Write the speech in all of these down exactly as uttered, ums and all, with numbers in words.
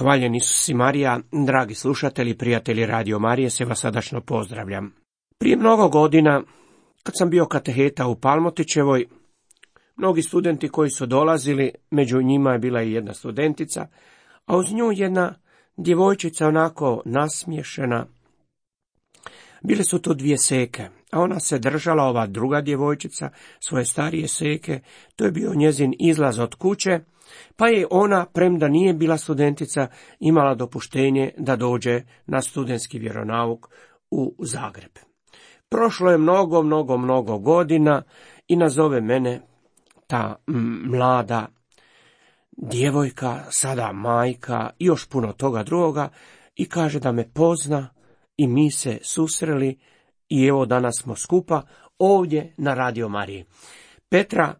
Hvaljen Isus i Marija, dragi slušatelji, prijatelji Radio Marije, se vas srdačno pozdravljam. Prije mnogo godina, kad sam bio kateheta u Palmotićevoj, mnogi studenti koji su dolazili, među njima je bila i jedna studentica, a uz nju jedna djevojčica onako nasmiješena. Bile su tu dvije seke, a ona se držala, ova druga djevojčica, svoje starije seke. To je bio njezin izlaz od kuće, pa je ona, premda nije bila studentica, imala dopuštenje da dođe na studentski vjeronauk u Zagreb. Prošlo je mnogo, mnogo, mnogo godina i nazove mene ta mlada djevojka, sada majka i još puno toga drugoga, i kaže da me pozna i mi se susreli i evo danas smo skupa ovdje na Radio Mariji. Petra,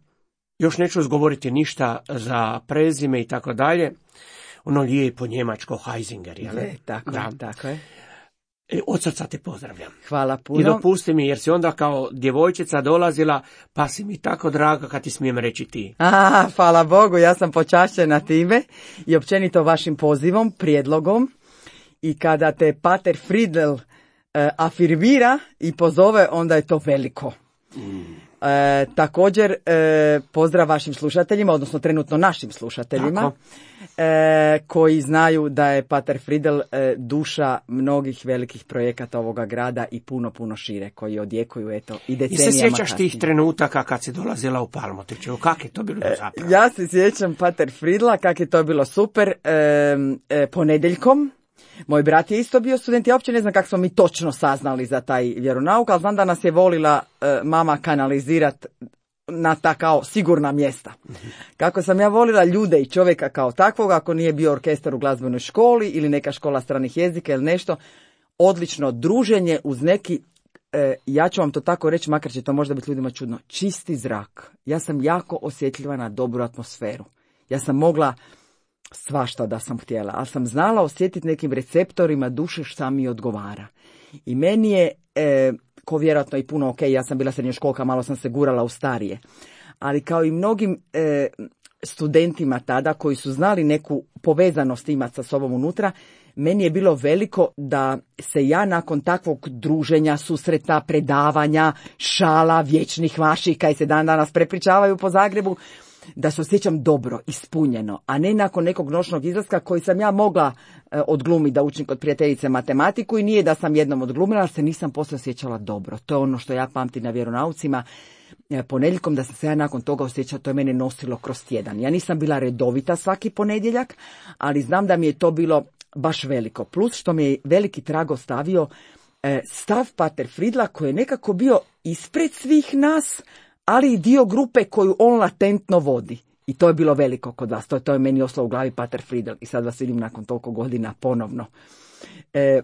još neću izgovoriti ništa za prezime i tako dalje, ono lijepo njemačko Heisinger, jel? Je, tako, da. tako je. E, od srca te pozdravljam. Hvala puno. I dopusti mi, jer si onda kao djevojčica dolazila, pa si mi tako draga kad ti smijem reći ti. A, hvala Bogu, ja sam počašćena time i općenito vašim pozivom, prijedlogom. I kada te pater Friedel uh, afirmira i pozove, onda je to veliko. Mm. E, također, e, pozdrav vašim slušateljima, odnosno trenutno našim slušateljima, e, koji znaju da je pater Friedel e, duša mnogih velikih projekata ovoga grada i puno, puno šire, koji odjekuju, eto, i decenijama. I se sjećaš kasnije. tih trenutaka kad si dolazila u Palmotićevo? Kak je to bilo zapravo? E, ja se sjećam pater Friedla, kak je to bilo super, e, e, ponedjeljkom. Moj brat je isto bio student, ja uopće ne znam kako smo mi točno saznali za taj vjeronauk, ali znam da nas je volila e, mama kanalizirat na ta kao sigurna mjesta. Kako sam ja volila ljude i čovjeka kao takvog, ako nije bio orkestar u glazbenoj školi ili neka škola stranih jezika ili nešto, odlično druženje uz neki, e, ja ću vam to tako reći, makar će to možda biti ljudima čudno, čisti zrak. Ja sam jako osjetljiva na dobru atmosferu. Ja sam mogla svašta da sam htjela, ali sam znala osjetiti nekim receptorima duše šta mi odgovara. I meni je, e, ko vjerojatno i puno, ok, ja sam bila srednjoškolka, malo sam se gurala u starije, ali kao i mnogim e, studentima tada koji su znali neku povezanost imati sa sobom unutra, meni je bilo veliko da se ja nakon takvog druženja, susreta, predavanja, šala, vječnih vaših, kaj se dan danas prepričavaju po Zagrebu, da se osjećam dobro, ispunjeno, a ne nakon nekog noćnog izlaska koji sam ja mogla e, odglumiti da učim kod prijateljice matematiku i nije da sam jednom odglumila, ali se nisam poslije osjećala dobro. To je ono što ja pamtim na vjeronaucima. E, ponedjeljkom da sam se ja nakon toga osjećala, to je mene nosilo kroz tjedan. Ja nisam bila redovita svaki ponedjeljak, ali znam da mi je to bilo baš veliko. Plus što mi je veliki trag ostavio e, stav pater Friedla koji je nekako bio ispred svih nas, ali i dio grupe koju on latentno vodi. I to je bilo veliko kod vas. To je, to je meni ostalo u glavi pater Friedel. I sad vas vidim nakon toliko godina ponovno. E,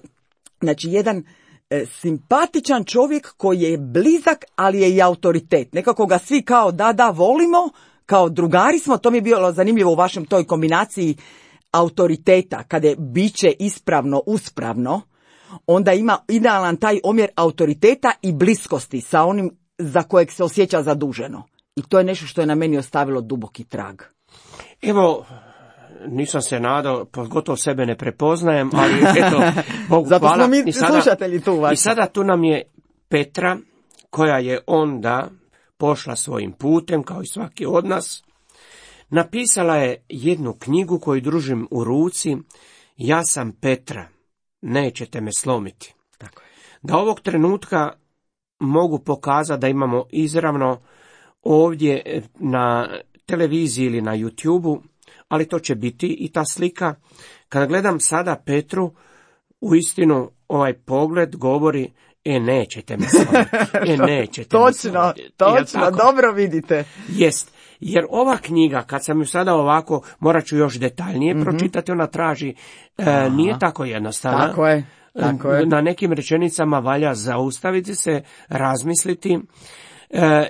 znači, jedan e, simpatičan čovjek koji je blizak, ali je i autoritet. Nekako ga svi kao da, da, volimo, kao drugari smo. To mi je bilo zanimljivo u vašem toj kombinaciji autoriteta. Kada je biće ispravno, uspravno, onda ima idealan taj omjer autoriteta i bliskosti sa onim za kojeg se osjeća zaduženo. I to je nešto što je na meni ostavilo duboki trag. Evo, nisam se nadao, pogotovo sebe ne prepoznajem, ali eto, Bogu zato hvala. Zato smo mi I sada, slušatelji tu vaši. I sada tu nam je Petra, koja je onda pošla svojim putem, kao i svaki od nas. Napisala je jednu knjigu koju držim u ruci, Ja sam Petra, nećete me slomiti. Tako je. Da ovog trenutka mogu pokazati da imamo izravno ovdje na televiziji ili na YouTubeu, ali to će biti i ta slika. Kada gledam sada Petru, uistinu ovaj pogled govori, e nećete me slomiti, e nećete točno, me slomiti. Točno, dobro vidite. Jest, jer ova knjiga, kad sam ju sada ovako, morat ću još detaljnije mm-hmm. pročitati, ona traži, e, nije tako jednostavna. Tako je. Tako je. Na nekim rečenicama valja zaustaviti se, razmisliti,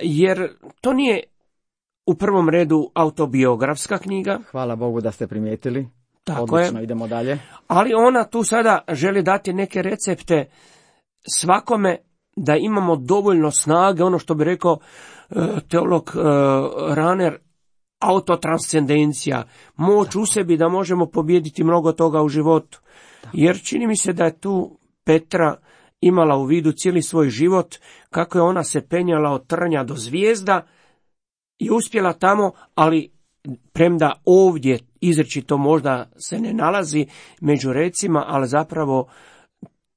jer to nije u prvom redu autobiografska knjiga. Hvala Bogu da ste primijetili. Tako Odlično, je. Idemo dalje. Ali ona tu sada želi dati neke recepte svakome da imamo dovoljno snage, ono što bi rekao teolog Raner, autotranscendencija, moć u sebi da možemo pobijediti mnogo toga u životu. Jer čini mi se da je tu Petra imala u vidu cijeli svoj život, kako je ona se penjala od trnja do zvijezda i uspjela tamo, ali premda ovdje izričito možda se ne nalazi među recima, ali zapravo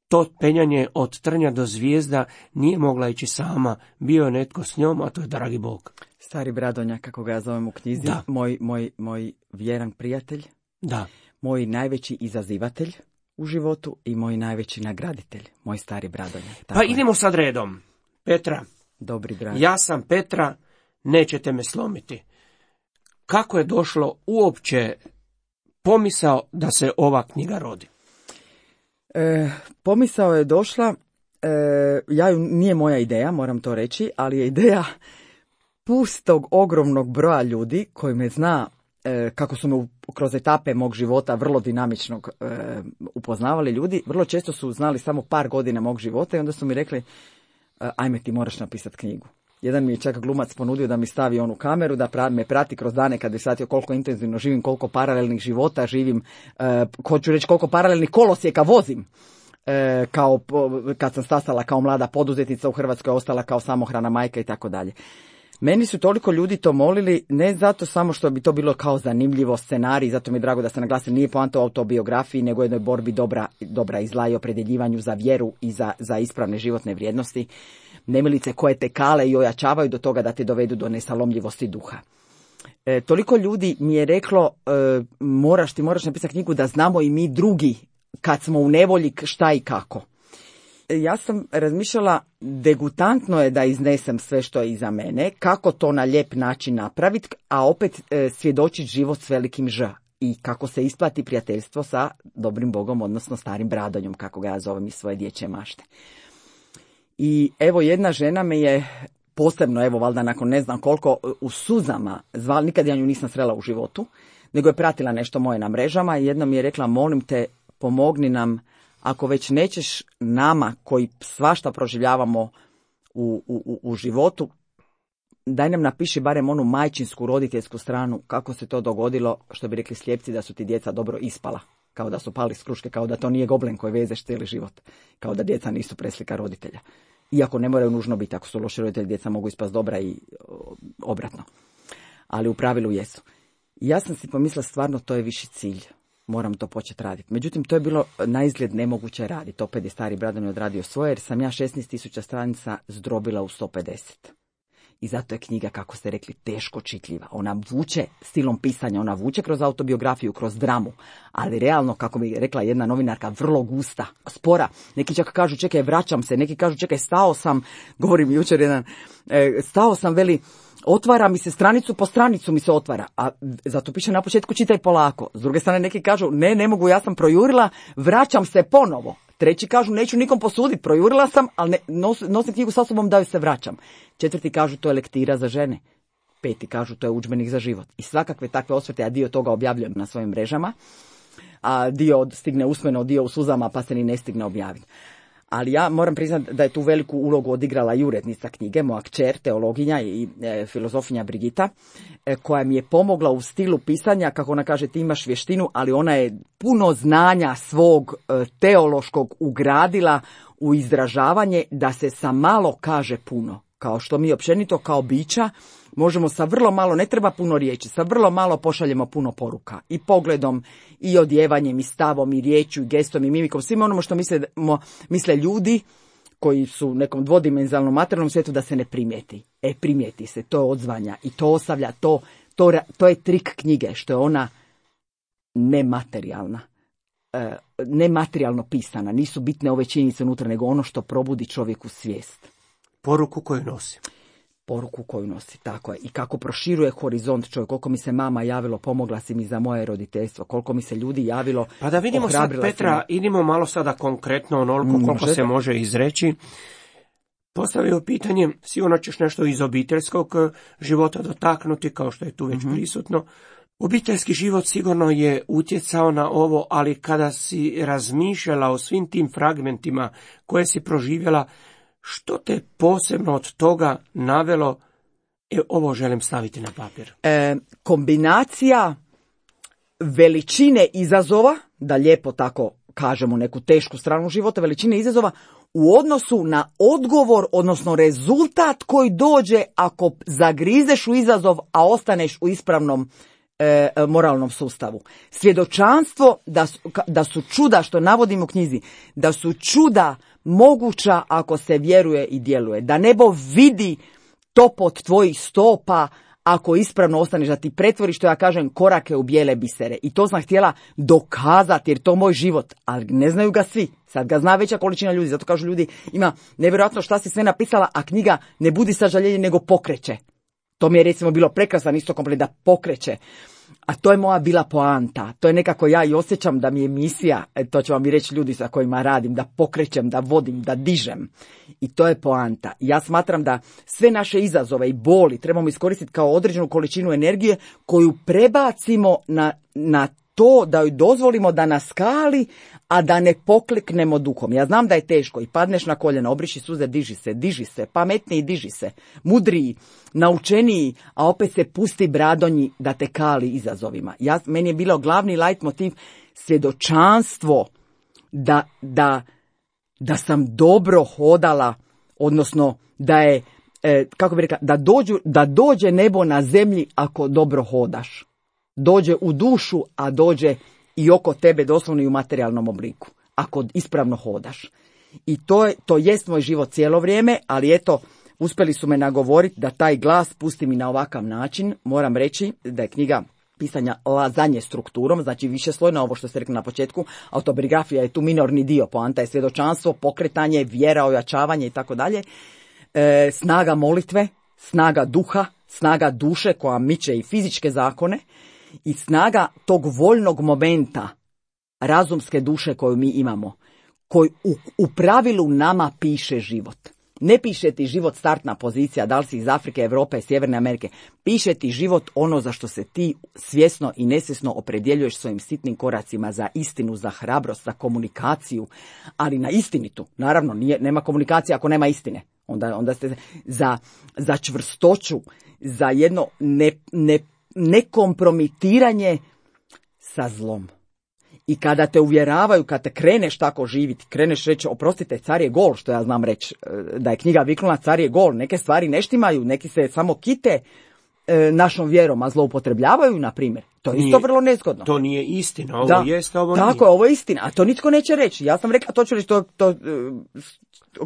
to penjanje od trnja do zvijezda nije mogla ići sama. Bio je netko s njom, a to je dragi Bog. Stari Bradonja, kako ga ja zovem u knjizi, Da. moj, moj, moj vjeran prijatelj, Da. moj najveći izazivatelj u životu i moj najveći nagraditelj, moj stari Bradonja. Tako Pa je. idemo sad redom. Petra, Dobri dragi. ja sam Petra, nećete me slomiti. Kako je došlo uopće pomisao da se ova knjiga rodi? E, pomisao je došla, e, ja ju, nije moja ideja, moram to reći, ali je ideja pustog ogromnog broja ljudi koji me zna, e, kako su me u, kroz etape mog života vrlo dinamičnog e, upoznavali ljudi, vrlo često su znali samo par godina mog života i onda su mi rekli, e, ajme ti moraš napisati knjigu. Jedan mi je čak glumac ponudio da mi stavi onu kameru, da pra, me prati kroz dane kad bi shvatio koliko intenzivno živim, koliko paralelnih života živim, e, hoću reći koliko paralelnih kolosijeka vozim. E, kao kad sam stasala kao mlada poduzetnica u Hrvatskoj, ostala kao samohrana majka i tako dalje. Meni su toliko ljudi to molili, ne zato samo što bi to bilo kao zanimljivo scenarij, zato mi je drago da se naglasi, nije poanta o autobiografiji, nego jednoj borbi dobra, dobra i zla i opredjeljivanju za vjeru i za, za ispravne životne vrijednosti. Nemilice koje te kale i ojačavaju do toga da te dovedu do nesalomljivosti duha. E, toliko ljudi mi je reklo, e, moraš ti, moraš napisati knjigu da znamo i mi drugi kad smo u nevolji šta i kako. E, ja sam razmišljala, degutantno je da iznesem sve što je iza mene, kako to na lijep način napraviti, a opet e, svjedočiti život s velikim Ž. I kako se isplati prijateljstvo sa dobrim Bogom, odnosno starim Bradonjom, kako ga ja zovem iz svoje dječje mašte. I evo jedna žena me je posebno, evo valjda nakon ne znam koliko, u suzama zvala, nikad ja nju nisam srela u životu, nego je pratila nešto moje na mrežama i jedna mi je rekla, molim te, pomogni nam, ako već nećeš nama koji svašta proživljavamo u, u, u životu, daj nam napiši barem onu majčinsku roditeljsku stranu, kako se to dogodilo, što bi rekli slijepci, da su ti djeca dobro ispala. Kao da su pali s kruške, kao da to nije goblen koji vezeš cijeli život. Kao da djeca nisu preslika roditelja. Iako ne moraju nužno biti, ako su loši roditelji, djeca mogu ispast dobra i obratno. Ali u pravilu jesu. I ja sam si pomislila, stvarno to je viši cilj. Moram to početi raditi. Međutim, to je bilo naizgled nemoguće raditi. Opet je stari Bradonj odradio svoje, jer sam ja šesnaest tisuća stranica zdrobila u sto pedeset. I zato je knjiga, kako ste rekli, teško čitljiva. Ona vuče stilom pisanja, ona vuče kroz autobiografiju, kroz dramu, ali realno, kako bi rekla jedna novinarka, vrlo gusta, spora. Neki čak kažu, čekaj, vraćam se, neki kažu, čekaj, stao sam, govorim jučer jedan, e, stao sam, veli, otvara mi se stranicu po stranicu mi se otvara, a zato piše na početku čitaj polako. S druge strane neki kažu, ne, ne mogu, ja sam projurila, vraćam se ponovo. Treći kažu, neću nikom posuditi, projurila sam, ali ne, nos, nosim knjigu sa sobom da joj se vraćam. Četvrti kažu, to je lektira za žene. Peti kažu, to je udžbenik za život. I svakakve takve osvrte, ja dio toga objavljujem na svojim mrežama, a dio stigne usmeno, dio u suzama, pa se ni ne stigne objaviti. Ali ja moram priznati da je tu veliku ulogu odigrala i urednica knjige, moja kćer, teologinja i e, filozofinja Brigita, e, koja mi je pomogla u stilu pisanja, kako ona kaže, ti imaš vještinu, ali ona je puno znanja svog e, teološkog ugradila u izražavanje da se sa malo kaže puno. Kao što mi općenito kao bića možemo sa vrlo malo, ne treba puno riječi, sa vrlo malo pošaljemo puno poruka. I pogledom, i odjevanjem, i stavom, i riječju, i gestom, i mimikom, svima onome što misle, misle ljudi koji su u nekom dvodimenzionalnom materijalnom svijetu da se ne primijeti. E, primijeti se, to je odzvanja i to ostavlja, to, to, to je trik knjige, što je ona nematerijalna. E, nematerijalno pisana, nisu bitne ove činjenice unutra, nego ono što probudi čovjeku svijest. Poruku koju nosi. Poruku koju nosi, tako je. I kako proširuje horizont čovjek, koliko mi se mama javilo, pomogla si mi za moje roditeljstvo, koliko mi se ljudi javilo. Pa da vidimo sad, Petra, idimo malo sada konkretno onoliko koliko Možete? se može izreći. Postavio pitanje, sigurno ćeš nešto iz obiteljskog života dotaknuti, kao što je tu već mm-hmm. prisutno. Obiteljski život sigurno je utjecao na ovo, ali kada si razmišljala o svim tim fragmentima koje si proživjela, što te posebno od toga navelo E, ovo želim staviti na papir. E, kombinacija veličine izazova, da lijepo tako kažemo neku tešku stranu života, veličine izazova u odnosu na odgovor, odnosno rezultat koji dođe ako zagrizeš u izazov, a ostaneš u ispravnom e, moralnom sustavu. Svjedočanstvo da su, da su čuda, što navodimo u knjizi, da su čuda moguća ako se vjeruje i djeluje. Da nebo vidi to pod tvojih stopa ako ispravno ostaneš, da ti pretvori, što ja kažem, korake u bijele bisere. I to sam htjela dokazati, jer to je moj život, ali ne znaju ga svi. Sad ga zna veća količina ljudi, zato kažu ljudi, ima nevjerojatno šta si sve napisala, a knjiga ne budi sažaljenje, nego pokreće. To mi je recimo bilo prekrasan isto komplet, da pokreće. A to je moja bila poanta. To je nekako ja i osjećam da mi je misija, to će vam i reći ljudi sa kojima radim, da pokrećem, da vodim, da dižem. I to je poanta. Ja smatram da sve naše izazove i boli trebamo iskoristiti kao određenu količinu energije koju prebacimo na, na to da joj dozvolimo da nas skali, a da ne pokleknemo duhom. Ja znam da je teško i padneš na koljena, obriši suze, diži se, diži se, pametniji, diži se, mudriji, naučeniji, a opet se pusti bradonji da te kali izazovima. Ja, meni je bilo glavni leitmotiv svjedočanstvo da, da, da sam dobro hodala, odnosno da je, e, kako bi rekla, da, dođu, da dođe nebo na zemlji ako dobro hodaš. Dođe u dušu, a dođe i oko tebe doslovno i u materijalnom obliku, ako ispravno hodaš. I to je, to jest moj život cijelo vrijeme, ali eto, uspjeli su me nagovoriti da taj glas pusti mi na ovakav način. Moram reći da je knjiga pisanja lazanje strukturom, znači višeslojna, ovo što ste rekli na početku, autobiografija je tu minorni dio, poanta je svjedočanstvo, pokretanje, vjera, ojačavanje i tako dalje. E, snaga molitve, snaga duha, snaga duše koja miče i fizičke zakone, i snaga tog voljnog momenta razumske duše koju mi imamo, koji u, u pravilu nama piše život. Ne piše ti život startna pozicija, da li si iz Afrike, Europe, Sjeverne Amerike. Piše ti život ono za što se ti svjesno i nesvjesno opredjeljuješ svojim sitnim koracima, za istinu, za hrabrost, za komunikaciju, ali na istinitu. Naravno, nije, nema komunikacije ako nema istine. Onda, onda ste za, za čvrstoću, za jedno ne, ne nekompromitiranje sa zlom. I kada te uvjeravaju, kada te kreneš tako živiti, kreneš reći, oprostite, car je gol, što ja znam reći, da je knjiga viknula car je gol, neke stvari ne štimaju, neki se samo kite e, našom vjerom, a zloupotrebljavaju, na primjer. To je isto vrlo nezgodno. To nije istina, ovo da, jest, ovo tako, nije. Tako, ovo je istina, a to nitko neće reći. Ja sam rekla, to ću reći, to, to,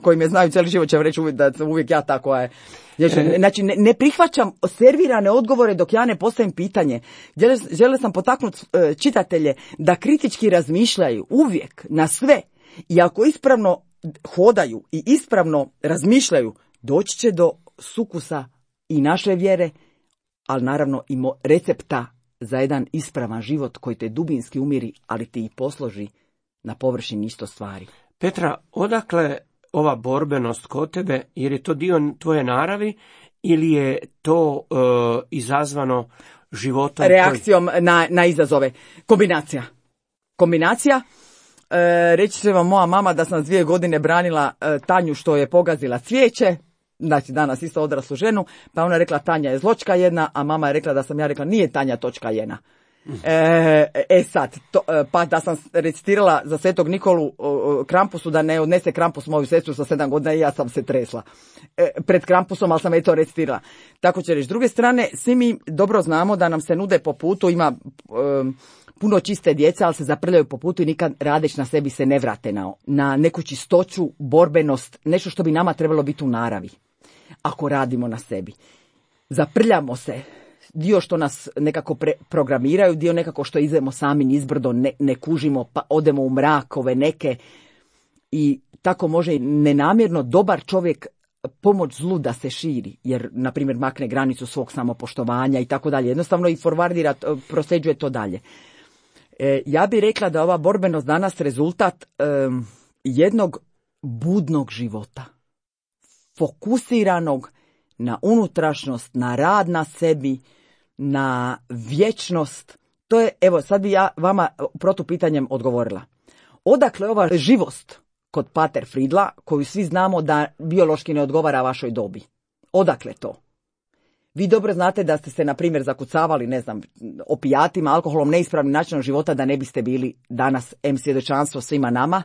koji me znaju cijeli život će reći uvijek da sam uvijek ja tako je. Znači, ne, ne prihvaćam servirane odgovore dok ja ne postavim pitanje. Žele sam potaknuti e, čitatelje da kritički razmišljaju uvijek na sve. I ako ispravno hodaju i ispravno razmišljaju, doći će do sukusa i naše vjere, ali naravno i mo- recepta za jedan ispravan život koji te dubinski umiri, ali ti i posloži na površini isto stvari. Petra, odakle ova borbenost kod tebe, jer je to dio tvoje naravi ili je to uh, izazvano životom? Reakcijom koji... na, na izazove. Kombinacija. Kombinacija. E, reći će vam moja mama da sam dvije godine branila e, Tanju što je pogazila cvijeće, znači danas isto odraslu ženu, pa ona je rekla Tanja je zločka jedna, a mama je rekla da sam ja rekla nije Tanja točka jedna. E, e sad, to, pa da sam recitirala za Svetog Nikolu o, Krampusu da ne odnese Krampus moju sestru sa sedam godina i ja sam se tresla e, pred Krampusom, ali sam je to recitirala. Tako će reći. S druge strane, svi mi dobro znamo da nam se nude po putu, ima e, puno čiste djece, ali se zaprljaju po putu i nikad radeć na sebi se ne vrate na, na neku čistoću, borbenost, nešto što bi nama trebalo biti u naravi. Ako radimo na sebi. Zaprljamo se. Dio što nas nekako pre- programiraju, dio nekako što idemo sami nizbrdo, ne, ne kužimo, pa odemo u mrakove neke. I tako može nenamjerno dobar čovjek pomoć zlu da se širi, jer, na primjer, makne granicu svog samopoštovanja i tako dalje. Jednostavno i forwardira, prosljeđuje to dalje. E, ja bih rekla da ova borbenost danas rezultat e, jednog budnog života. Fokusiranog na unutrašnost, na rad na sebi, na vječnost. To je, evo, sad bi ja vama protupitanjem odgovorila. Odakle ova živost kod Pater Fridla, koju svi znamo da biološki ne odgovara vašoj dobi? Odakle to? Vi dobro znate da ste se, na primjer, zakucavali, ne znam, opijatima, alkoholom, neispravnim načinom života, da ne biste bili danas em svjedočanstvo svima nama,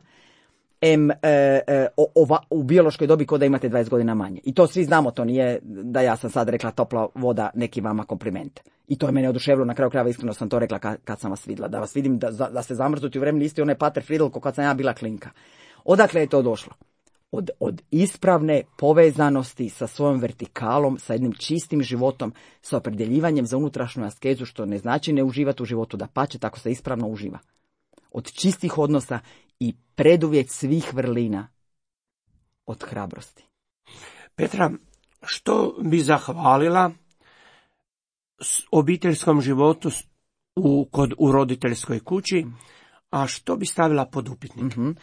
em e, e, ova, u biološkoj dobi kod da imate dvadeset godina manje. I to svi znamo, to nije da ja sam sad rekla topla voda neki vama kompliment. I to je mene oduševilo, na kraju krajeva iskreno sam to rekla kad, kad sam vas vidjela. Da vas vidim da, da ste zamrznuti u vremenu isti onaj Pater Friedl ko kad sam ja bila klinka. Odakle je to došlo? Od, od ispravne povezanosti sa svojom vertikalom, sa jednim čistim životom, sa opredjeljivanjem za unutrašnju askezu, što ne znači ne uživati u životu, da pače, tako se ispravno uživa. Od čistih odnosa i preduvjet svih vrlina, od hrabrosti. Petra, što bi zahvalila obiteljskom životu u, kod, u roditeljskoj kući, a što bi stavila pod upitnik? Mm-hmm.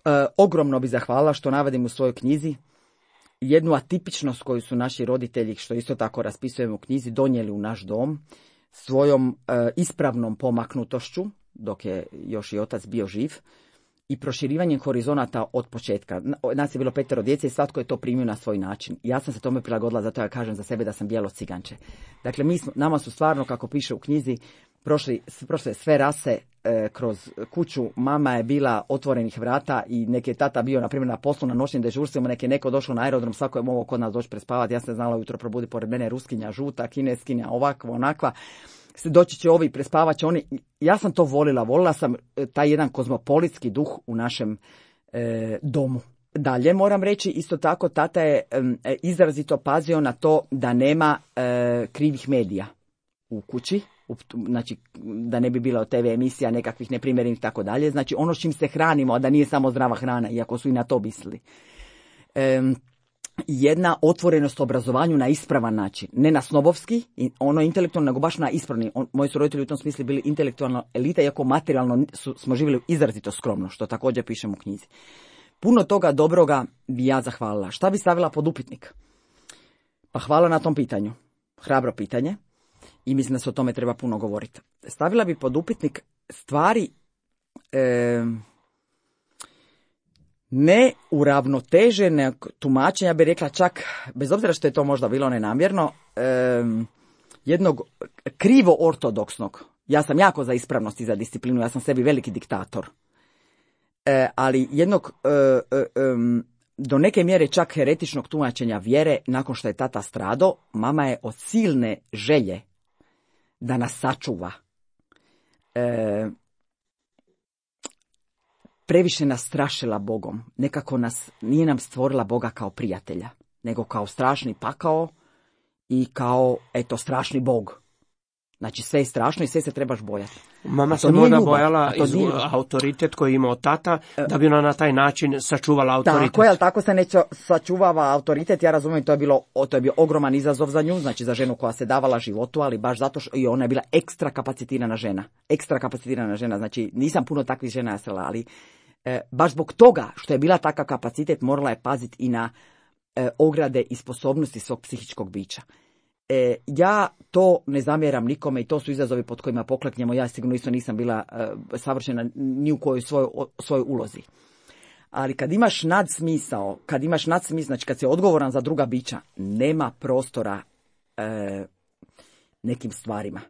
E, ogromno bi zahvalila, što navodim u svojoj knjizi, jednu atipičnost koju su naši roditelji, što isto tako raspisujemo u knjizi, donijeli u naš dom svojom e, ispravnom pomaknutošću, dok je još i otac bio živ, i proširivanjem horizonata od početka. Nas je bilo petero djece i svatko je to primio na svoj način. Ja sam se tome prilagodila, zato ja kažem za sebe da sam bijelo ciganče. Dakle, mi smo, nama su stvarno, kako piše u knjizi, prošli, prošle sve rase e, kroz kuću. Mama je bila otvorenih vrata i neki je tata bio, na primjer, na poslu na noćnim dežurstvima, neki je neko došao na aerodrom, svako je mogao kod nas doći prespavati. Ja sam znala ujutro probudi pored mene ruskinja, žuta, kineskinja, ovakva, onakva. Doći će ovi, prespavat će oni. Ja sam to volila, volila sam taj jedan kozmopolitski duh u našem e, domu. Dalje moram reći, isto tako, tata je e, izrazito pazio na to da nema e, krivih medija u kući, u, znači da ne bi bilo te ve emisija nekakvih neprimjerenih i tako dalje. Znači ono s čim se hranimo, a da nije samo zdrava hrana, iako su i na to mislili. E, jedna otvorenost obrazovanju na ispravan način, ne na snobovski, ono intelektualno, nego baš na ispravni. On, moji su roditelji u tom smislu bili intelektualno elita, iako materijalno su, smo živjeli izrazito skromno, što također pišem u knjizi. Puno toga dobroga bi ja zahvalila. Šta bi stavila pod upitnik? Pa hvala na tom pitanju. Hrabro pitanje i mislim da se o tome treba puno govoriti. Stavila bi pod upitnik stvari e, neuravnoteženog tumačenja, bi rekla čak, bez obzira što je to možda bilo nenamjerno, e, jednog krivo ortodoksnog. Ja sam jako za ispravnost i za disciplinu, ja sam sebi veliki diktator. E, ali jednog e, e, e, do neke mjere čak heretičnog tumačenja vjere, nakon što je tata stradao, mama je od silne želje da nas sačuva. E, previše nas strašila Bogom. Nekako nas, nije nam stvorila Boga kao prijatelja, nego kao strašni pakao i kao, eto, strašni Bog. Znači sve je strašno i sve se trebaš bojati. Mama se možda bojala iz autoritet koji imao tata, da bi ona na taj način sačuvala autoritet. Tako je, ali tako se ne sačuvava autoritet. Ja razumijem, to je, bilo, to je bio ogroman izazov za nju, znači za ženu koja se davala životu, ali baš zato što i ona je bila ekstra kapacitirana žena. Ekstra kapacitirana žena, znači nisam puno takvih žena srela, ali e, baš zbog toga što je bila takav kapacitet, morala je paziti i na e, ograde i sposobnosti svog psihičkog bića. E, ja to ne zamjeram nikome i to su izazovi pod kojima pokleknemo. Ja sigurno isto nisam bila e, savršena ni u kojoj svojoj, svojoj ulozi. Ali kad imaš nadsmisao, kad imaš nadsmisao, znači kad si odgovoran za druga bića, nema prostora e, nekim stvarima.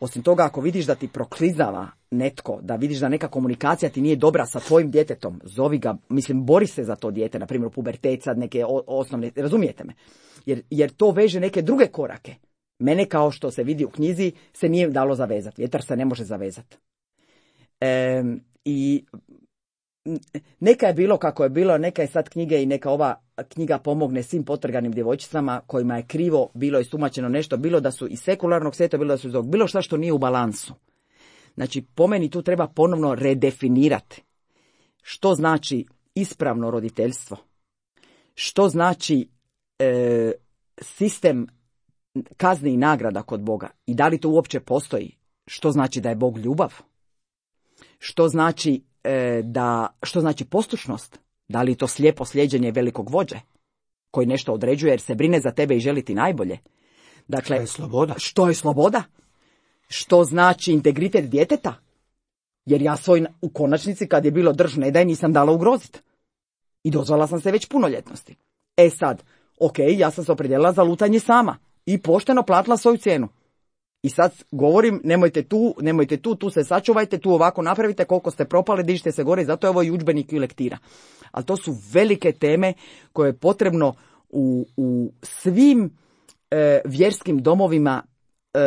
Osim toga, ako vidiš da ti proklizava netko, da vidiš da neka komunikacija ti nije dobra sa tvojim djetetom, zovi ga, mislim, bori se za to dijete, na primjer u pubertet, sad neke osnovne, razumijete me? Jer, jer to veže neke druge korake. Mene, kao što se vidi u knjizi, se nije dalo zavezati. Vjetar se ne može zavezati. E, I neka je bilo kako je bilo, neka je sad knjige i neka ova knjiga pomogne svim potrganim djevojčicama kojima je krivo bilo istumačeno nešto, bilo da su iz sekularnog svijeta, bilo da su iz ovog, bilo šta što nije u balansu. Znači, po meni tu treba ponovno redefinirati što znači ispravno roditeljstvo, što znači e, sistem kazni i nagrada kod Boga i da li to uopće postoji, što znači da je Bog ljubav, što znači e, da, što znači poslušnost, da li je to slijepo slijeđenje velikog vođe koji nešto određuje jer se brine za tebe i želi ti najbolje. Dakle, što je sloboda? Što je sloboda? Što znači integritet djeteta? Jer ja svoj, u konačnici, kad je bilo drž ne daj, nisam dala ugroziti. I dozvala sam se već punoljetnosti. E sad, ok, ja sam se opredijelila za lutanje sama. i pošteno platila svoju cijenu. I sad govorim, nemojte tu, nemojte tu, tu se sačuvajte, tu ovako napravite, koliko ste propali, dižite se gore, i zato je ovo i udžbenik i lektira. Ali to su velike teme koje je potrebno u, u svim e, vjerskim domovima e,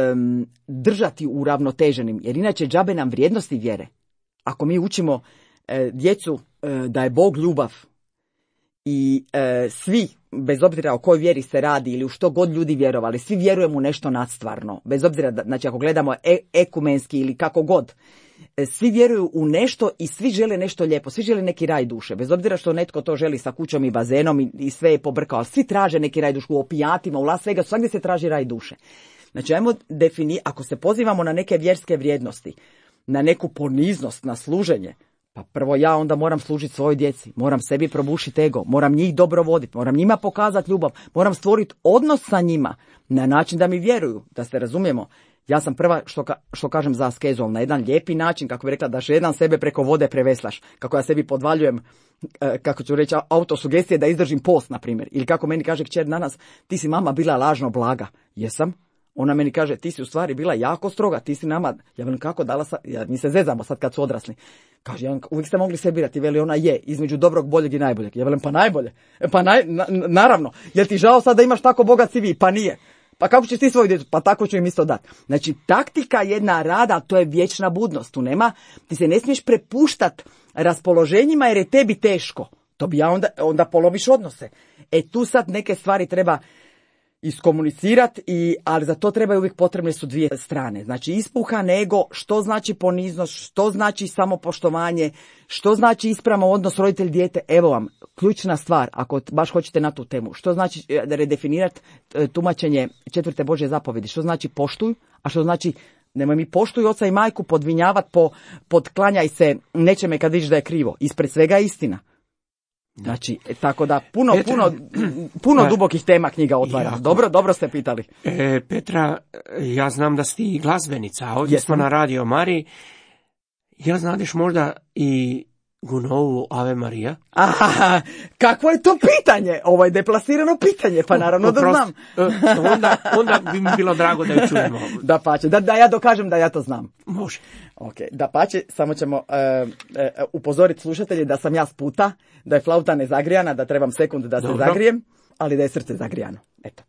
držati uravnoteženim, jer inače džabe nam vrijednosti vjere. Ako mi učimo e, djecu e, da je Bog ljubav i e, svi, bez obzira o kojoj vjeri se radi ili u što god ljudi vjerovali, svi vjerujemo u nešto nadstvarno, bez obzira, da, znači ako gledamo e, ekumenski ili kako god, e, svi vjeruju u nešto i svi žele nešto lijepo, svi žele neki raj duše, bez obzira što netko to želi sa kućom i bazenom i, i sve je pobrkao, ali svi traže neki raj duše, u opijatima, u Las Vegasu, svagdje se traži raj duše. Znači, ajmo definirati, ako se pozivamo na neke vjerske vrijednosti, na neku poniznost, na služenje, pa prvo ja onda moram služiti svojoj djeci, moram sebi probušiti ego, moram njih dobro voditi, moram njima pokazati ljubav, moram stvoriti odnos sa njima na način da mi vjeruju, da se razumijemo. Ja sam prva što, ka, što kažem za askezu, na jedan lijepi način, kako bi rekla, da jedan sebe preko vode preveslaš, kako ja sebi podvaljujem, kako ću reći, autosugestije da izdržim post, na primjer, ili kako meni kaže kćer danas, ti si mama bila lažno blaga. Jesam? Ona meni kaže, ti si u stvari bila jako stroga, ti si nama, ja velim kako dala sad, ja, mi se zezamo sad kad su odrasli. Kaže, ja, uvijek ste mogli se birati, veli ona je, između dobrog, boljeg i najboljeg. Ja velim, pa najbolje, pa naj, na, naravno, jel ti žao sad da imaš tako bogat C V? Pa nije. Pa kako ćeš ti svoju djecu? Pa tako ću im isto dati. Znači, taktika jedna rada, to je vječna budnost, tu nema, ti se ne smiješ prepuštat raspoloženjima jer je tebi teško. To bi ja onda, onda polomiš odnose. E tu sad neke stvari treba iskomunicirati, i, ali za to trebaju uvijek potrebne su dvije strane. Znači ispuhan ego, što znači poniznost, što znači samopoštovanje, što znači ispravan odnos roditelj-dijete. Evo vam, ključna stvar, ako baš hoćete na tu temu. Što znači redefinirati tumačenje četvrte Božje zapovjedi? Što znači poštuj, a što znači nemoj mi poštuj oca i majku podvinjavati, po, podklanjaj se nečeme kad vidiš da je krivo. Ispred svega je istina. Znači, tako da puno, Petra, puno, puno dubokih tema knjiga otvara. Jako. Dobro, dobro ste pitali. E, Petra, ja znam da si ti glazbenica, a ovdje Jesam. smo na Radio Mariji. Jel znadeš možda i Gunovu Ave Marija? Aha, kakvo je to pitanje? Ovo je deplasirano pitanje, pa naravno da znam. onda, onda bi mi bilo drago da ju čujemo. Da pače, da, da ja dokažem da ja to znam. Može. Ok, da pače, samo ćemo uh, uh, upozoriti slušatelji da sam ja s puta, da je flauta nezagrijana, da trebam sekund da Dobro. se zagrijem, ali da je srce zagrijano. Eto.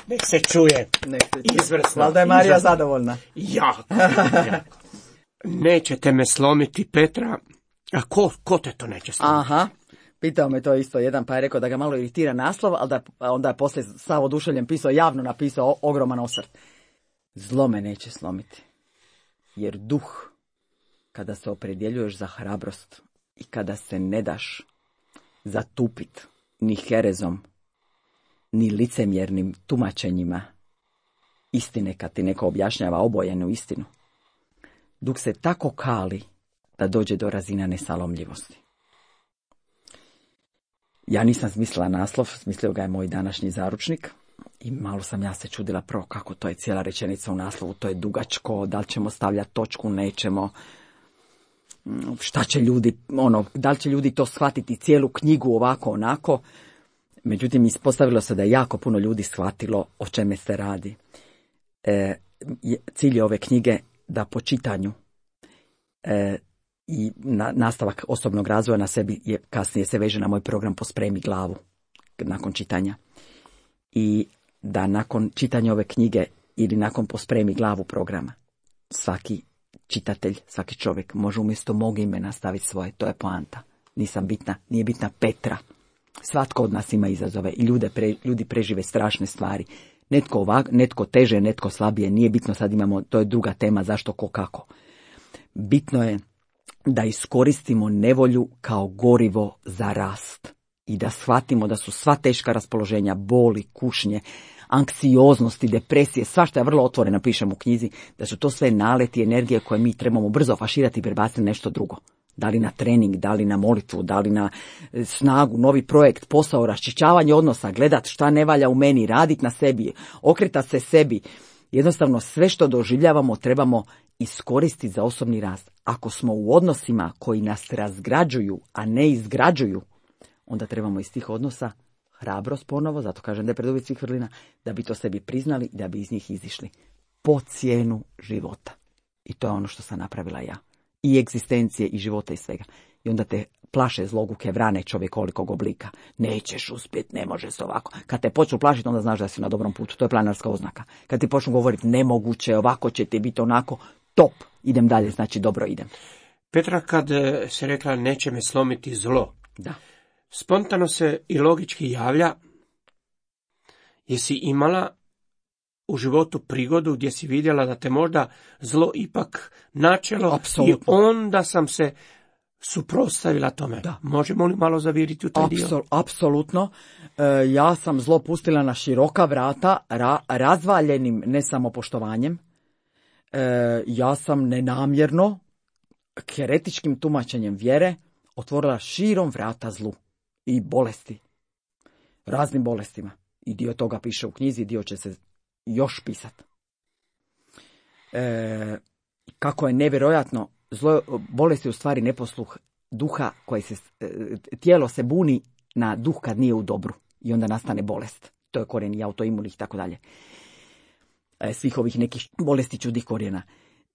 Nek se čuje. Nek se čuje. Izvrsno. Valjda je Marija Izvrsno. zadovoljna. Jako, jako. Nećete me slomiti, Petra. A ko, ko te to neće slomiti? Aha, pitao me to isto jedan, pa je rekao da ga malo iritira naslov, ali da onda je poslije sav oduševljen pisao, javno napisao o, ogroman osvrt. Zlo me neće slomiti, jer duh, kada se opredjeljuješ za hrabrost i kada se ne daš zatupit ni herezom, ni licemjernim tumačenjima istine kad ti neko objašnjava obojenu istinu. Dok se tako kali da dođe do razina nesalomljivosti. Ja nisam smislila naslov, smislio ga je moj današnji zaručnik i malo sam ja se čudila prvo kako to je cijela rečenica u naslovu, to je dugačko, da li ćemo stavljati točku, nećemo, šta će ljudi, ono, da li će ljudi to shvatiti cijelu knjigu ovako, onako. Međutim, ispostavilo se da je jako puno ljudi shvatilo o čeme se radi. E, cilj je ove knjige da po čitanju e, i na, nastavak osobnog razvoja na sebi je kasnije se veže na moj program Pospremi glavu nakon čitanja. I da nakon čitanja ove knjige ili nakon Pospremi glavu programa svaki čitatelj, svaki čovjek može umjesto mog imena staviti svoje, to je poanta. Nisam bitna, nije bitna Petra. Svatko od nas ima izazove i ljude pre, ljudi prežive strašne stvari. Netko ovak, netko teže, netko slabije, nije bitno, sad imamo, to je druga tema, zašto, ko, kako. Bitno je da iskoristimo nevolju kao gorivo za rast i da shvatimo da su sva teška raspoloženja, boli, kušnje, anksioznosti, depresije, svašta je vrlo otvoreno, pišem u knjizi, da su to sve naleti energije koje mi trebamo brzo faširati i prebaciti nešto drugo. Da li na trening, da li na molitvu, da li na snagu, novi projekt, posao, raščišćavanje odnosa, gledat šta ne valja u meni, raditi na sebi, okretati se sebi. Jednostavno sve što doživljavamo trebamo iskoristiti za osobni rast. Ako smo u odnosima koji nas razgrađuju, a ne izgrađuju, onda trebamo iz tih odnosa hrabrost ponovo, zato kažem da je preduvjet svih vrlina, da bi to sebi priznali i da bi iz njih izišli. Po cijenu života. I to je ono što sam napravila ja. I egzistencije, i života, i svega. I onda te plaše zloguke vrane čovjekolikog oblika. Nećeš uspjeti, ne može se ovako. Kad te počnu plašiti, onda znaš da si na dobrom putu. To je planarska oznaka. Kad ti počnu govoriti nemoguće, ovako će ti biti onako, top, idem dalje, znači dobro idem. Petra, kad se rekla neće me slomiti zlo, Da. spontano se i logički javlja, jesi imala u životu prigodu gdje si vidjela da te možda zlo ipak načelo. Apsolutno. I onda sam se suprotstavila tome. Da. Možemo li malo zaviriti u taj Apsol, dio? apsolutno. E, ja sam zlo pustila na široka vrata, ra, razvaljenim ne samo poštovanjem. E, ja sam nenamjerno, heretičkim tumačenjem vjere, otvorila širom vrata zlu i bolesti. Raznim bolestima. I dio toga piše u knjizi, dio će se još pisati. E, kako je nevjerojatno, zlo, bolest je u stvari neposluh duha, koji se, tijelo se buni na duh kad nije u dobru i onda nastane bolest. To je korijen i autoimunih i tako dalje. E, svih ovih nekih bolesti čudih korijena.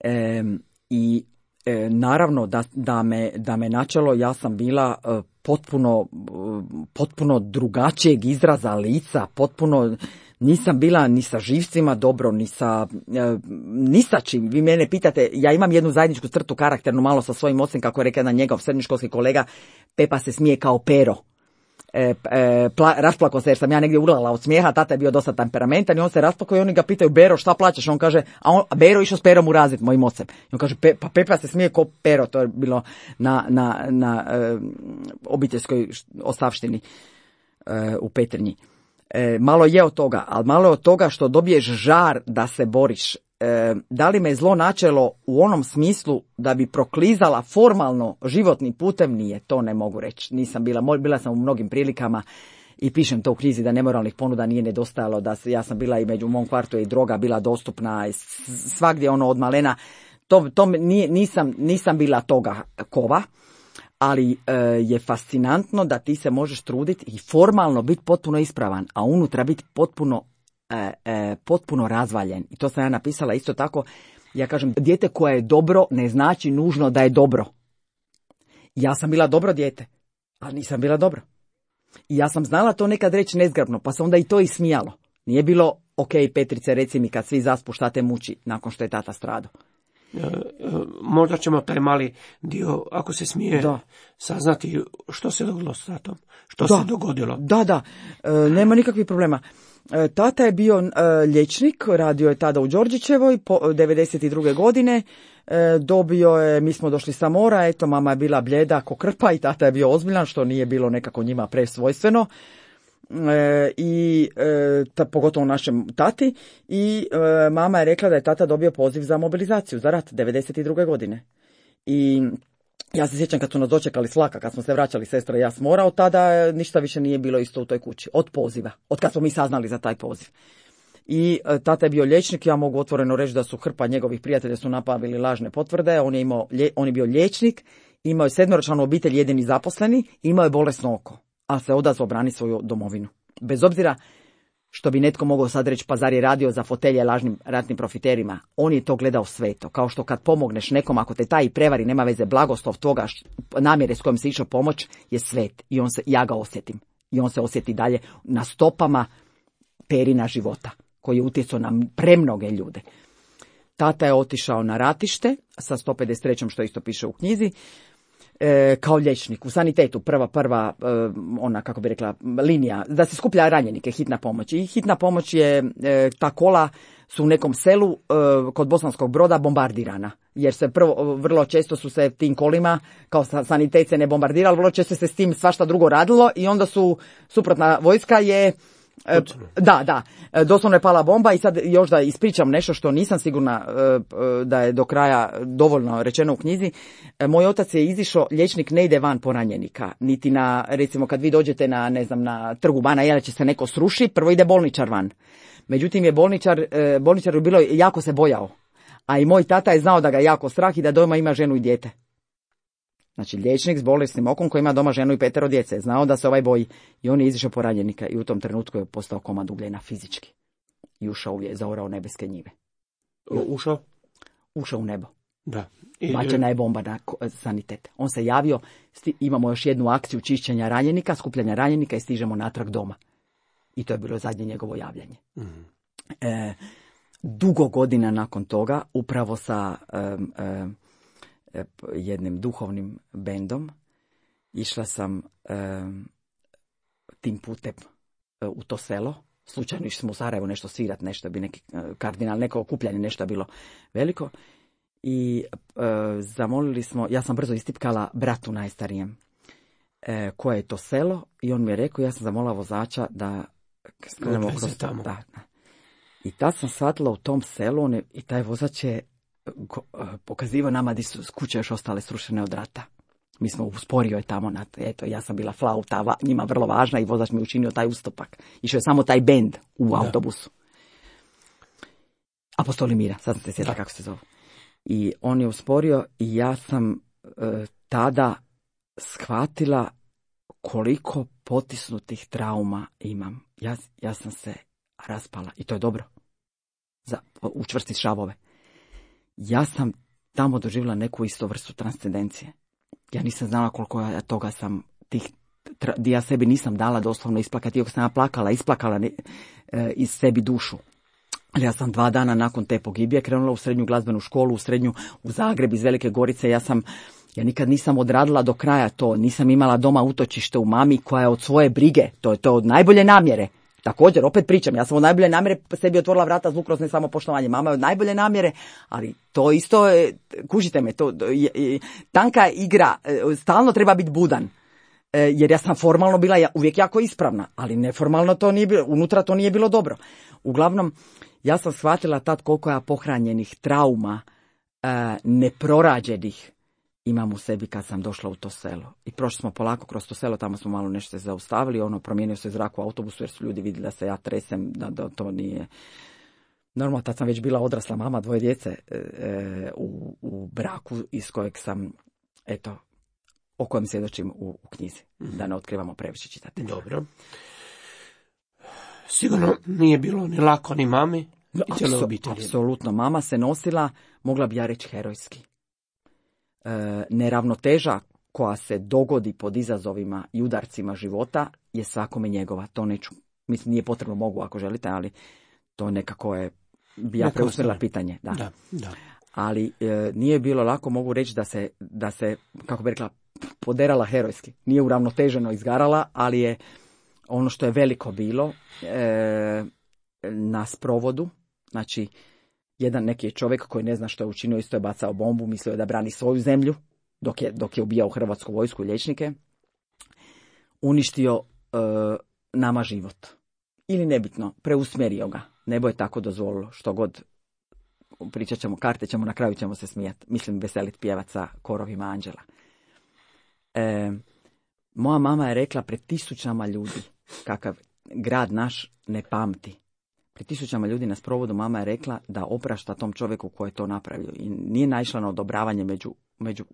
E, I e, naravno da, da, me, da me načelo, ja sam bila e, potpuno, potpuno drugačijeg izraza lica, potpuno nisam bila ni sa živcima dobro, ni sa, e, ni sa čim. Vi mene pitate, ja imam jednu zajedničku crtu karakternu malo sa svojim ocem, kako je rekao jedan njegov srednjoškolski kolega, Pepa se smije kao pero. E, e, pla, rasplako se jer sam ja negdje urlala od smijeha, tata je bio dosta temperamentan i on se rasplako i oni ga pitaju, Bero, šta plaćeš? On kaže, a, on, a Bero išao s Perom u razred, mojim ocem. I on kaže, Pe, pa Pepa se smije ko Pero, to je bilo na, na, na e, obiteljskoj ostavštini e, u Petrinji. E, malo je od toga, ali malo je od toga što dobiješ žar da se boriš. E, da li me zlo načelo u onom smislu da bi proklizala formalno životni putem, nije, to ne mogu reći. Nisam bila, bila sam u mnogim prilikama i pišem to u knjizi da nemoralnih ponuda nije nedostajalo, da se, ja sam bila i među u mom kvartu i droga bila dostupna svagdje ono od malena. To, to nije, nisam, nisam bila toga kova. Ali e, je fascinantno da ti se možeš truditi i formalno biti potpuno ispravan, a unutra biti potpuno, e, e, potpuno razvaljen. I to sam ja napisala isto tako. Ja kažem, dijete koje je dobro ne znači nužno da je dobro. Ja sam bila dobro dijete, ali nisam bila dobro. I ja sam znala to nekad reći nezgrabno, pa se onda i to ismijalo. Nije bilo, ok, Petrice, reci mi kad svi zaspu šta te muči nakon što je tata stradao. Možda ćemo taj mali dio, ako se smije, da. saznati što se dogodilo s tatom, što da. se dogodilo. Da, da, e, nema nikakvih problema. E, tata je bio e, liječnik, radio je tada u Đorđićevoj, po, devedeset druge godine, e, dobio je, mi smo došli sa mora, eto, mama je bila bljeda ko krpa i tata je bio ozbiljan, što nije bilo nekako njima presvojstveno. e, i e, ta, pogotovo našem tati, i e, mama je rekla da je tata dobio poziv za mobilizaciju, za rat, devedeset druge godine. I ja se sjećam kad su nas dočekali s vlaka, kad smo se vraćali sestra i ja s mora, od tada ništa više nije bilo isto u toj kući, od poziva, od kad smo mi saznali za taj poziv. I e, tata je bio liječnik, ja mogu otvoreno reći da su hrpa njegovih prijatelja su napravili lažne potvrde, on je, imao, on je bio liječnik, imao je sedmoročlanu obitelj, jedini zaposleni, imao je bolesno oko, a se odazvao brani svoju domovinu. Bez obzira što bi netko mogao sad reći, pa zar je radio za fotelje lažnim ratnim profiterima, on je to gledao sveto, kao što kad pomogneš nekom, ako te taj prevari, nema veze, blagoslov toga, namjere s kojom se išao pomoć je svet, i on se, ja ga osjetim, i on se osjeti dalje na stopama perina života, koji je utjecao na premnoge ljude. Tata je otišao na ratište sa sto pedeset trećom što isto piše u knjizi, e, kao liječnik u sanitetu, prva, prva, e, ona, kako bi rekla, linija, da se skuplja ranjenike, hitna pomoć. I hitna pomoć je, e, ta kola su u nekom selu e, kod Bosanskog Broda bombardirana, jer se prvo, vrlo često su se tim kolima, kao sanitet se ne bombardirali, vrlo često se s tim svašta drugo radilo i onda su, suprotna vojska je, E, da, da, doslovno je pala bomba. I sad još da ispričam nešto što nisam sigurna e, da je do kraja dovoljno rečeno u knjizi. E, moj otac je izišao, liječnik ne ide van po ranjenika, niti na, recimo kad vi dođete na, ne znam, na trgu Bana Jelačića se neko sruši, prvo ide bolničar van. Međutim je bolničar, e, bolničar je bilo, jako se bojao, a i moj tata je znao da ga jako strah i da doma ima ženu i dijete. Znači, liječnik s bolesnim okom koji ima doma ženu i petero djece, znao da se ovaj boji, i on je izišao po ranjenika i u tom trenutku je postao komad ugljena fizički. I ušao je, zaorao nebeske njive. O, ušao? Ušao u nebo. Da. I, bačena je bomba na sanitet. On se javio, sti, imamo još jednu akciju čišćenja ranjenika, skupljanja ranjenika i stižemo natrag doma. I to je bilo zadnje njegovo javljanje. Mm. E, dugo godina nakon toga, upravo sa um, um, jednim duhovnim bendom, išla sam um, tim putem uh, u to selo. Slučajno išli smo u Sarajevo nešto svirat, nešto bi neki uh, kardinal, neko okupljanje, nešto bilo veliko. I uh, zamolili smo, ja sam brzo istipkala bratu najstarijem uh, koje je to selo, i on mi je rekao, ja sam zamolila vozača da skrenemo kroz tamo. Da, da. I tad sam shvatila u tom selu, on je, i taj vozač je pokazivao nama da su kuće još ostale srušene od rata. Mi smo usporio je tamo, na, eto, ja sam bila flauta, njima vrlo važna, i vozač mi učinio taj ustupak. Išao je samo taj bend u da. autobusu. Apostoli mira, sad sam se sjetila kako se zove. I on je usporio i ja sam e, tada shvatila koliko potisnutih trauma imam. Ja, ja sam se raspala, i to je dobro, za učvrstiti šavove. Ja sam tamo doživjela neku isto vrstu transcendencije. Ja nisam znala koliko ja toga sam, tih, di ja sebi nisam dala doslovno isplakati, iako sam ja plakala, isplakala ne, e, iz sebi dušu. Ali ja sam dva dana nakon te pogibije krenula u srednju glazbenu školu, u srednju u Zagreb iz Velike Gorice. Ja sam, ja nikad nisam odradila do kraja to, nisam imala doma utočište u mami koja je od svoje brige, to je to od najbolje namjere. Također, opet pričam, ja sam od najbolje namjere sebi otvorila vrata zvuk kroz nesamopoštovanje. Mama je od najbolje namjere, ali to isto, kužite me, to je, je, tanka igra, stalno treba biti budan. Jer ja sam formalno bila uvijek jako ispravna, ali neformalno to nije bilo, unutra to nije bilo dobro. Uglavnom, ja sam shvatila tad koliko ja pohranjenih trauma, neprorađenih, imam u sebi kad sam došla u to selo. I prošli smo polako kroz to selo, tamo smo malo nešto se zaustavili, ono, promijenio se zrak u autobusu jer su ljudi vidjeli da se ja tresem, da, da to nije... Normalno, tad sam već bila odrasla mama, dvoje djece e, u, u braku iz kojeg sam, eto, o kojem svjedočim u, u knjizi, mm. da ne otkrivamo previše čitati. Dobro. Sigurno nije bilo ni lako ni mami, i cijeloj obitelji. Apsolutno, mama se nosila, mogla bi ja reći, herojski. E, neravnoteža koja se dogodi pod izazovima i udarcima života je svakome njegova. To neću, mislim, nije potrebno, mogu ako želite, ali to nekako je, bi ja preusmjerila pitanje. Da. Da, da. Ali e, nije bilo lako, mogu reći da se, da se, kako bi rekla, poderala herojski. Nije uravnoteženo izgarala, ali je ono što je veliko bilo e, na sprovodu, znači, jedan neki je čovjek koji ne zna što je učinio, isto je bacao bombu, mislio je da brani svoju zemlju, dok je, dok je ubijao hrvatsku vojsku i liječnike, uništio e, nama život. Ili nebitno, preusmjerio ga. Nebo je tako dozvolilo, što god pričat ćemo, karte ćemo, na kraju ćemo se smijati. Mislim, veselit pjevat sa korovima anđela. E, moja mama je rekla pred tisućama ljudi, kakav grad naš ne pamti. Pred tisućama ljudi na sprovodu mama je rekla da oprašta tom čovjeku koji je to napravio. I nije naišla na odobravanje među, među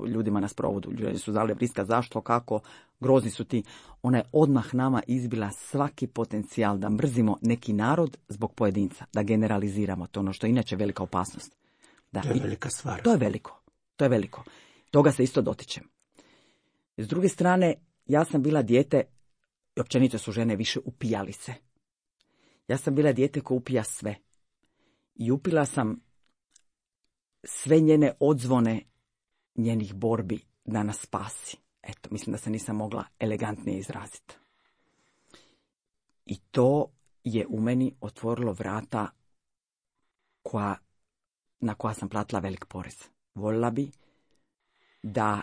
ljudima na sprovodu. Ljudi su dali briska zašto, kako, grozni su ti. Ona je odmah nama izbila svaki potencijal da mrzimo neki narod zbog pojedinca, da generaliziramo. To ono što je inače velika opasnost. Da, to je velika stvar. To je veliko. To je veliko. Toga se isto dotičem. S druge strane, ja sam bila dijete, i općenito su žene više upijalice. Ja sam bila dijete koja upija sve. I upila sam sve njene odzvone njenih borbi da nas spasi. Eto, mislim da se nisam mogla elegantnije izraziti. I to je u meni otvorilo vrata koja, na koja sam platila velik porez. Voljela bi da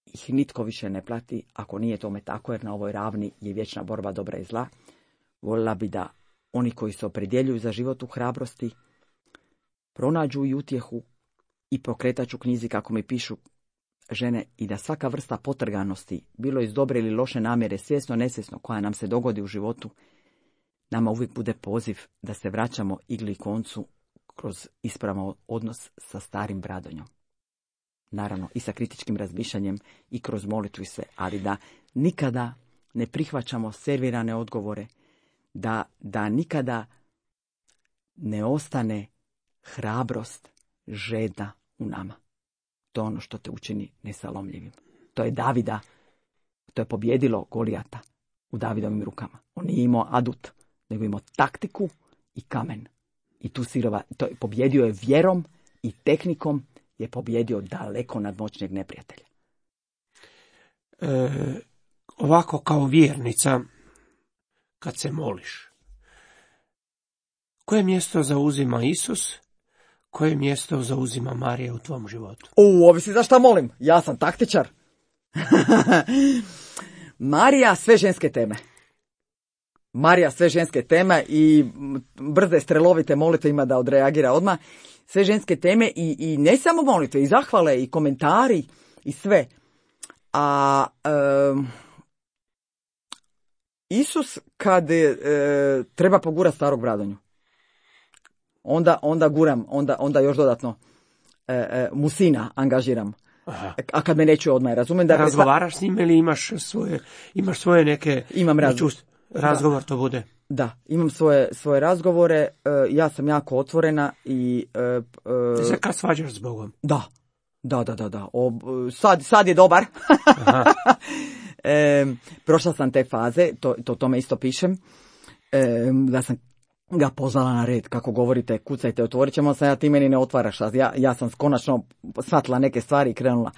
ih nitko više ne plati, ako nije tome tako, jer na ovoj ravni je vječna borba dobra i zla. Voljela bi da oni koji se opredjeljuju za život u hrabrosti pronađu i utjehu i pokretač u knjizi, kako mi pišu žene, i da svaka vrsta potrganosti, bilo iz dobre ili loše namjere, svjesno, nesvjesno, koja nam se dogodi u životu, nama uvijek bude poziv da se vraćamo igli koncu kroz ispravan odnos sa starim Bradonjom. Naravno, i sa kritičkim razmišljanjem i kroz molitvu i sve, ali da nikada ne prihvaćamo servirane odgovore, da, da nikada ne ostane hrabrost, žedna u nama. To je ono što te učini nesalomljivim. To je Davida, to je pobjedilo Golijata u Davidovim rukama. On nije imao adut, nego imao taktiku i kamen. I tu sirova, to je, pobjedio je vjerom i tehnikom, je pobjedio daleko nadmoćnijeg neprijatelja. E, ovako kao vjernica, kad se moliš, koje mjesto zauzima Isus, koje mjesto zauzima Marija u tvom životu? U, ovisi za šta molim. Ja sam taktičar. Marija, sve ženske teme. Marija, sve ženske teme i brze, strelovite molitve ima da odreagira odmah. Sve ženske teme i, i ne samo molitve, i zahvale, i komentari, i sve. A um, Isus kad e, treba pogurati starog Bradonju, onda, onda guram, onda, onda još dodatno e, e, mu sina angažiram. Aha. A kad me neću odmah, razumijem da... Razgovaraš s njim ili imaš svoje, imaš svoje neke... Imam razgovor. Razgovor da. To bude. Da, imam svoje, svoje razgovore, ja sam jako otvorena i... Ti se kad svađaš s Bogom? Da, da, da, da, da. O, sad, sad je dobar. e, prošla sam te faze, to, to tome isto pišem, e, da sam ga pozvala na red, kako govorite, kucajte, otvorit ćemo se, ja ti meni ne otvaraš, ja, ja sam konačno shvatila neke stvari i krenula.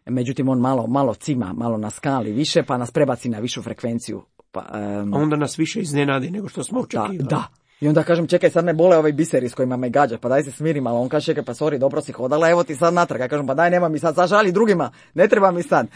Međutim, on malo, malo cima, malo na skali više, pa nas prebaci na višu frekvenciju. Pa, um, onda nas više iznenadi nego što smo očekivali. Da, da. I onda kažem, čekaj, sad me bole ovaj biseri s kojima me gađa, pa daj se smiri malo. On kaže, čekaj, pa sorry, dobro si hodala, evo ti sad natrag. Ja kažem, pa daj, nema mi sad, zažali drugima, ne treba mi sad.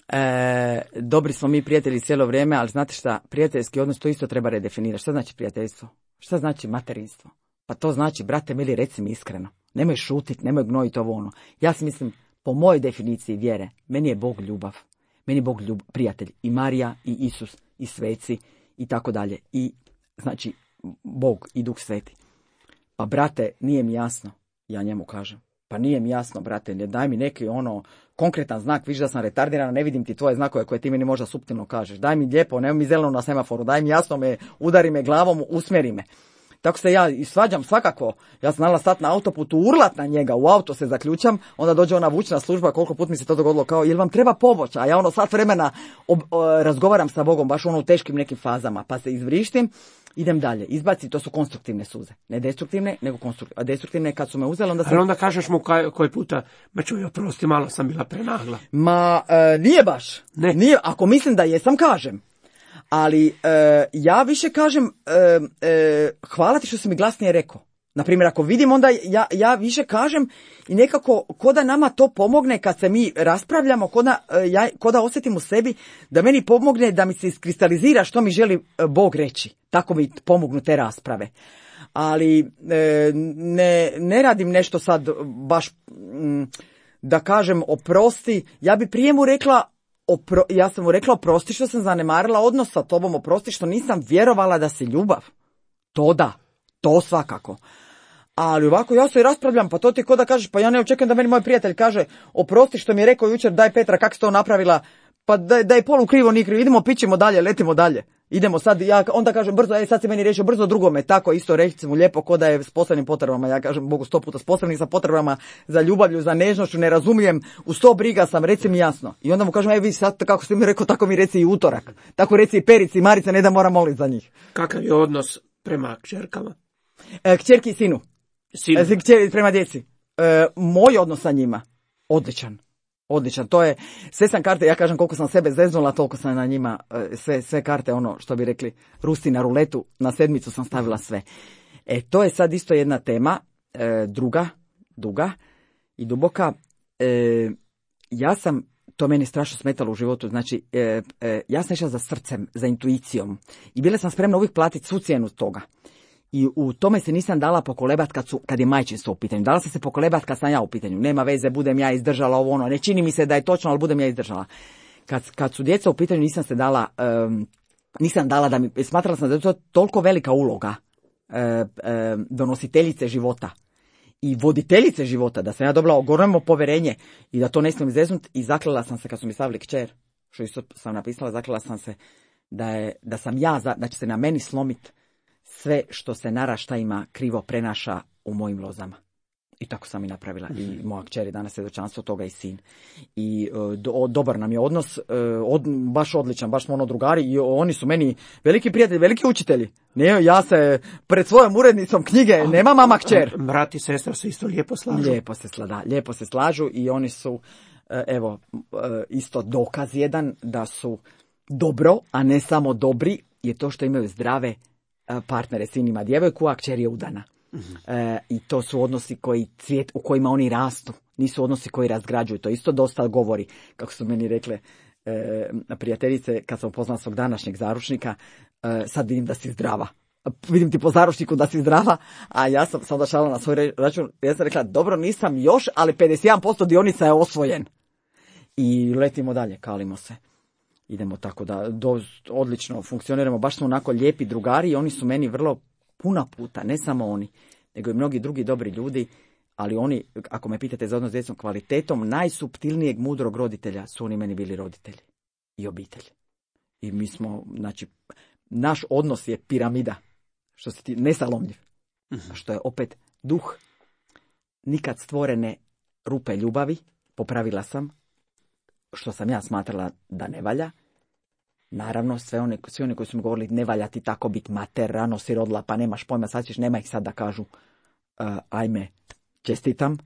E, dobri smo mi prijatelji cijelo vrijeme, ali znate šta, prijateljski odnos to isto treba redefinirati. Šta znači prijateljstvo? Šta znači materinstvo? Pa to znači, brate mili, reci mi iskreno. Nemoj šutit, nemoj gnojiti ovo ono. Ja si mislim, po mojoj definiciji vjere, meni je Bog ljubav. Meni je Bog ljub, prijatelj. I Marija, i Isus, i sveci, i tako dalje. I, znači, Bog i Duh Sveti. Pa, brate, nije mi jasno. Ja njemu kažem. Pa nije mi jasno, brate, daj mi neki ono konkretan znak, viš da sam retardirana, ne vidim ti tvoje znakove koje ti meni možda suptilno kažeš. Daj mi lijepo, nemoj mi zeleno na semaforu, daj mi jasno me, udari me glavom, usmjeri me. Tako se ja i svađam svakako. Ja sam znala stati na autoputu, urlat na njega, u auto se zaključam, onda dođe ona vučna služba, koliko put mi se to dogodilo, kao, jel vam treba pomoć? A ja ono sat vremena ob, o, razgovaram sa Bogom, baš ono u teškim nekim fazama, pa se izvrištim, idem dalje. Izbaci, to su konstruktivne suze. Ne destruktivne, nego konstruktivne. A destruktivne kad su me uzeli, onda sam... Ali onda kažeš mu kaj, koji puta, ma čuj, oprosti, malo sam bila prenagla. Ma, e, nije baš. Ne. Nije, ako mislim da jesam, kažem. Ali e, ja više kažem, e, e, hvala ti što si mi glasnije rekao. Naprimjer, ako vidim, onda ja, ja više kažem i nekako ko da nama to pomogne kad se mi raspravljamo, ko da, ja, ko da osjetim u sebi da meni pomogne da mi se iskristalizira što mi želi Bog reći. Tako mi pomognu te rasprave. Ali e, ne, ne radim nešto sad baš m, da kažem oprosti. Ja bi prije mu rekla, opro, ja sam mu rekla oprosti što sam zanemarila odnos sa tobom, oprosti što nisam vjerovala da si ljubav. To da, to svakako. Ali ovako ja se i raspravljam, pa to ti ko da kažeš, pa ja ne očekujem da meni moj prijatelj kaže oprosti što mi je rekao jučer, daj Petra, kako si to napravila, pa da, da je polu krivo, ni krivo, idemo, pićemo dalje, letimo dalje. Idemo sad, ja onda kažem brzo, ej sad si meni riješio brzo drugome, tako isto reći mu lijepo ko da je s posebnim potrebama, ja kažem Bogu sto puta s posebnim sa potrebama za ljubavlju, za nežnošću, ne razumijem, u sto briga sam, reci mi jasno. I onda mu kažem, ej vi sad kako ste mi rekao, tako mi reci i utorak, tako reci i Perici i Marice, ne da moram moliti za njih. Kakav je odnos prema kćerkama? E, kćerki i sinu. Sinu. E, kćeri prema djeci. E, moj odnos sa njima, odličan. Odličan, to je, sve sam karte, ja kažem koliko sam sebe zeznula, toliko sam na njima, sve, sve karte, ono što bi rekli, Rusi na ruletu, na sedmicu sam stavila sve. E, to je sad isto jedna tema, e, druga, duga i duboka. E, ja sam, to meni strašno smetalo u životu, znači, e, e, ja sam išla za srcem, za intuicijom i bila sam spremna uvijek platiti svu cijenu toga. I u tome se nisam dala pokolebat kad, su, kad je majčinstvo u pitanju. Dala sam se pokolebat kad sam ja u pitanju. Nema veze, budem ja izdržala ovo ono. Ne čini mi se da je točno, ali budem ja izdržala. Kad, kad su djeca u pitanju nisam se dala, um, nisam dala da mi, smatrala sam da je to toliko velika uloga uh, uh, donositeljice života i voditeljice života, da sam ja dobila ogromno povjerenje i da to ne smijem izreznut i zaklela sam se kad su mi stavili kćer, što isto sam napisala, zaklela sam se da, je, da sam ja, da će se na meni slomit sve što se naraštajima krivo prenaša u mojim lozama. I tako sam i napravila. I moja kćer je danas svjedočanstvo toga i sin. I do, dobar nam je odnos, od, baš odličan, baš smo ono drugari i oni su meni veliki prijatelji, veliki učitelji. Ne, ja se pred svojom urednicom knjige, nema mama kćer. Brat i sestra se isto lijepo slažu. Lijepo se, slada, lijepo se slažu i oni su, evo, isto dokaz jedan da su dobro, a ne samo dobri, je to što imaju zdrave partnere, sin ima djevojku, a kćer je udana. Uh-huh. E, I to su odnosi koji cvijet, u kojima oni rastu. Nisu odnosi koji razgrađuju. To isto dosta govori, kako su meni rekle e, prijateljice, kad sam upoznala svog današnjeg zaručnika, e, sad vidim da si zdrava. Vidim ti po zaručniku da si zdrava, a ja sam sam došla na svoj račun, ja sam rekla, dobro, nisam još, ali pedeset jedan posto dionica je osvojen. I letimo dalje, kalimo se. Idemo tako da do, odlično funkcioniramo, baš smo onako lijepi drugari i oni su meni vrlo puno puta, ne samo oni, nego i mnogi drugi dobri ljudi, ali oni, ako me pitate za odnos s djecom, kvalitetom najsuptilnijeg mudrog roditelja su oni meni bili roditelji i obitelj. I mi smo, znači, naš odnos je piramida, što se ti nesalomljiv, uh-huh. što je opet duh nikad stvorene rupe ljubavi, popravila sam, što sam ja smatrala da ne valja. Naravno, sve one, svi oni koji su mi govorili ne valja ti tako biti mater, rano si rodila, pa nemaš pojma, sad ćeš, nema ih sad da kažu uh, ajme, čestitam.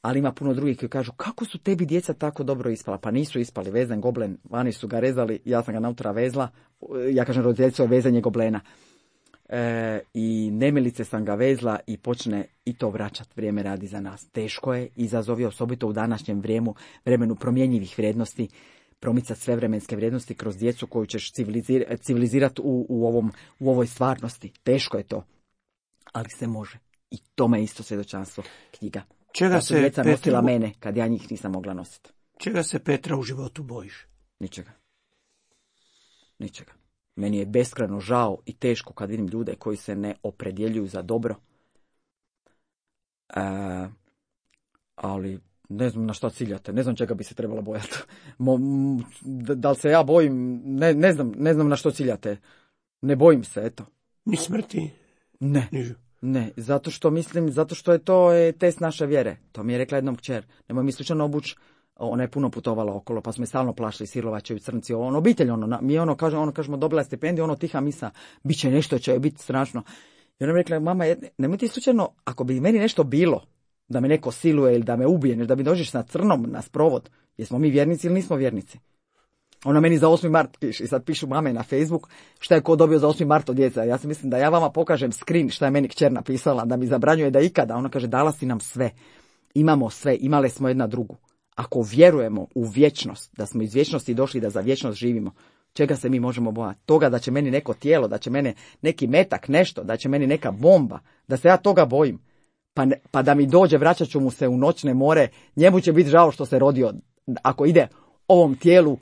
Ali ima puno drugih koji kažu, kako su tebi djeca tako dobro ispala? Pa nisu ispali, vezan goblen, vani su ga rezali, ja sam ga nautra vezla, ja kažem roditeljstvo je vezanje goblena. E, I nemilice sam ga vezla i počne i to vraćati, vrijeme radi za nas. Teško je, izazov je osobito u današnjem vrijemu, vremenu promjenjivih vrijednosti, promicati sve vremenske vrijednosti kroz djecu koju ćeš civilizir, civilizirati u, u, ovom, u ovoj stvarnosti. Teško je to, ali se može. I tome je isto svjedočanstvo knjiga. Čega da se djeca Petra... nosila mene kad ja njih nisam mogla nositi. Čega se Petra u životu bojiš? Ničega. Ničega. Meni je beskrajno žao i teško kad vidim ljude koji se ne opredjeljuju za dobro. E, ali ne znam na što ciljate, ne znam čega bi se trebalo bojati. Mo, da, da li se ja bojim, ne, ne znam, ne znam na što ciljate. Ne bojim se, eto. Ni smrti? Ne. Ni... Ne, zato što mislim, zato što je to je test naše vjere. To mi je rekla jednom kćer. Nemoj mi slučajno obući. Ona je puno putovala okolo, pa smo je stalno plašili, Silovačevi crnci, ono, obitelj, ono, mi ono, kaže, ono, kažemo, dobila je stipendiju, ono, tiha misa, bit će nešto, će biti strašno. I ona mi rekla, mama, nemoj ti slučajno, ako bi meni nešto bilo, da me neko siluje ili da me ubije, da mi dođeš na crnom, na sprovod, jesmo mi vjernici ili nismo vjernici? Ona meni za osmi mart piše i sad pišu mame na Facebook šta je ko dobio za osmi mart od djeca. Ja se mislim da ja vama pokažem screen šta je meni kćer napisala, da mi zabranjuje da ikada. Ona kaže dala si nam sve, imamo sve, imale smo jedna drugu. Ako vjerujemo u vječnost, da smo iz vječnosti došli da za vječnost živimo, čega se mi možemo bojati? Toga da će meni neko tijelo, da će mene neki metak, nešto, da će meni neka bomba, da se ja toga bojim. Pa, ne, pa da mi dođe, vraćat ću mu se u noćne more, njemu će biti žao što se rodio. Ako ide ovom tijelu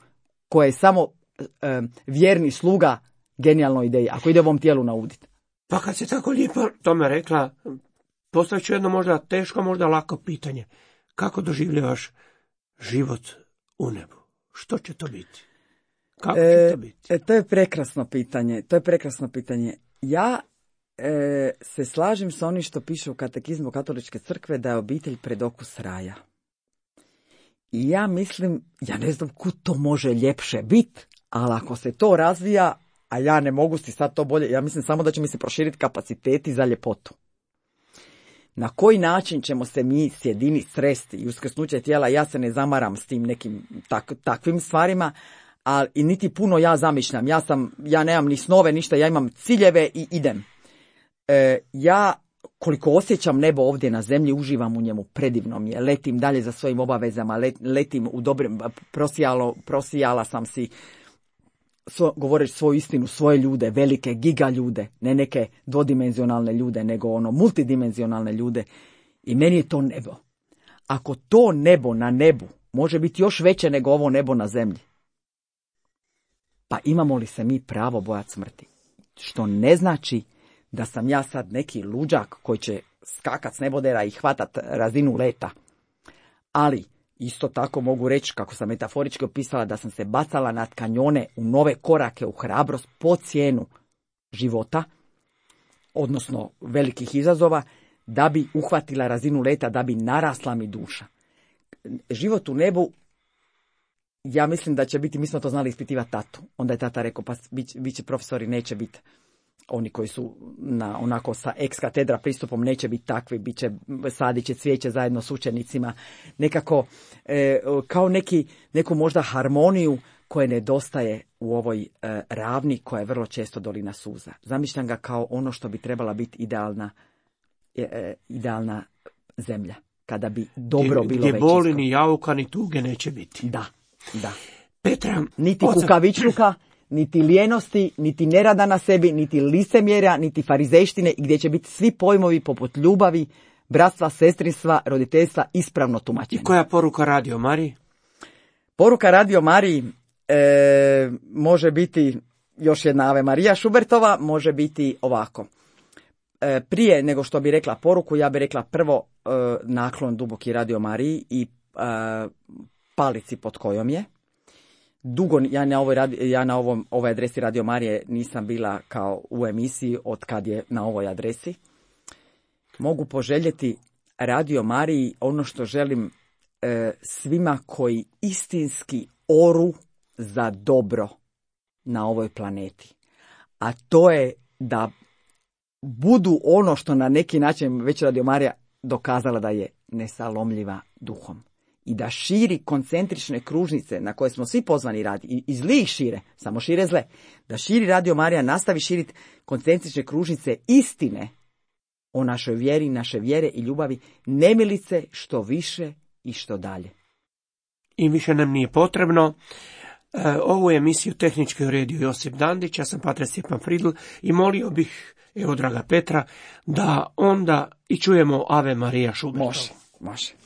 koje je samo e, vjerni sluga genijalnoj ideji, ako ide ovom tijelu nauditi. Pa kad si tako lijepo tome rekla, postavit ću jedno možda teško, možda lako pitanje. Kako doživljavaš život u nebu? Što će to biti? Kako će to biti? E, to je prekrasno pitanje. To je prekrasno pitanje. Ja e, se slažem sa onim što piše u katekizmu Katoličke crkve da je obitelj predokus raja. I ja mislim, ja ne znam kud to može ljepše biti, ali ako se to razvija, a ja ne mogu si sad to bolje, ja mislim samo da će mi se proširiti kapaciteti za ljepotu. Na koji način ćemo se mi sjediniti, sresti i uskrsnuće tijela, ja se ne zamaram s tim nekim tak, takvim stvarima, ali i niti puno ja zamišljam. Ja sam, ja nemam ni snove, ništa, ja imam ciljeve i idem. E, ja koliko osjećam nebo ovdje na zemlji, uživam u njemu, predivno mi je, letim dalje za svojim obavezama, let, letim u dobrim, prosijalo, prosijala sam si, svo, govoreći svoju istinu, svoje ljude, velike giga ljude, ne neke dvodimenzionalne ljude, nego ono multidimenzionalne ljude, i meni je to nebo. Ako to nebo na nebu može biti još veće nego ovo nebo na zemlji, pa imamo li se mi pravo bojati smrti? Što ne znači da sam ja sad neki luđak koji će skakat s nebodera i hvatat razinu leta. Ali isto tako mogu reći, kako sam metaforički opisala, da sam se bacala na kanjone u nove korake, u hrabrost po cijenu života, odnosno velikih izazova, da bi uhvatila razinu leta, da bi narasla mi duša. Život u nebu, ja mislim da će biti, mi smo to znali ispitivati tatu. Onda je tata rekao, pa bit, bit će profesori, neće biti oni koji su na onako sa ex katedra pristupom, neće biti takvi, bit će, sadit će cvijeće zajedno s učenicima, nekako e, kao neki, neku možda harmoniju koje nedostaje u ovoj e, ravni koja je vrlo često dolina suza. Zamišljam ga kao ono što bi trebala biti idealna, e, idealna zemlja, kada bi dobro gdje, bilo gdje većinsko. boli ni jauka ni tuge neće biti. Da, da. Petra, Niti oca... kukavičluka, niti lijenosti, niti nerada na sebi, niti licemjerja, niti farizejštine, i gdje će biti svi pojmovi poput ljubavi, bratstva, sestrinstva, roditeljstva ispravno tumačeni. I koja poruka Radio Mariji? Poruka Radio Mariji e, može biti još jedna Ave Marija Šubertova, može biti ovako. E, prije nego što bi rekla poruku, ja bi rekla prvo e, naklon duboki Radio Mariji i e, palici pod kojom je. Dugo ja na ovoj radi, ja na ovom ovoj adresi Radio Marije nisam bila kao u emisiji od kad je na ovoj adresi. Mogu poželjeti Radio Mariji ono što želim e, svima koji istinski oru za dobro na ovoj planeti. A to je da budu ono što na neki način već Radio Marija dokazala da je nesalomljiva duhom. I da širi koncentrične kružnice na koje smo svi pozvani raditi, i, i zli ih šire, samo šire zle, da širi Radio Marija, nastavi širiti koncentrične kružnice istine o našoj vjeri, naše vjere i ljubavi, nemilice što više i što dalje. I više nam nije potrebno. E, ovu emisiju tehnički uredio Josip Dandić, ja sam Pater Stjepan Fridl i molio bih, evo draga Petra, da onda i čujemo Ave Marija Šubertovu. Može, može.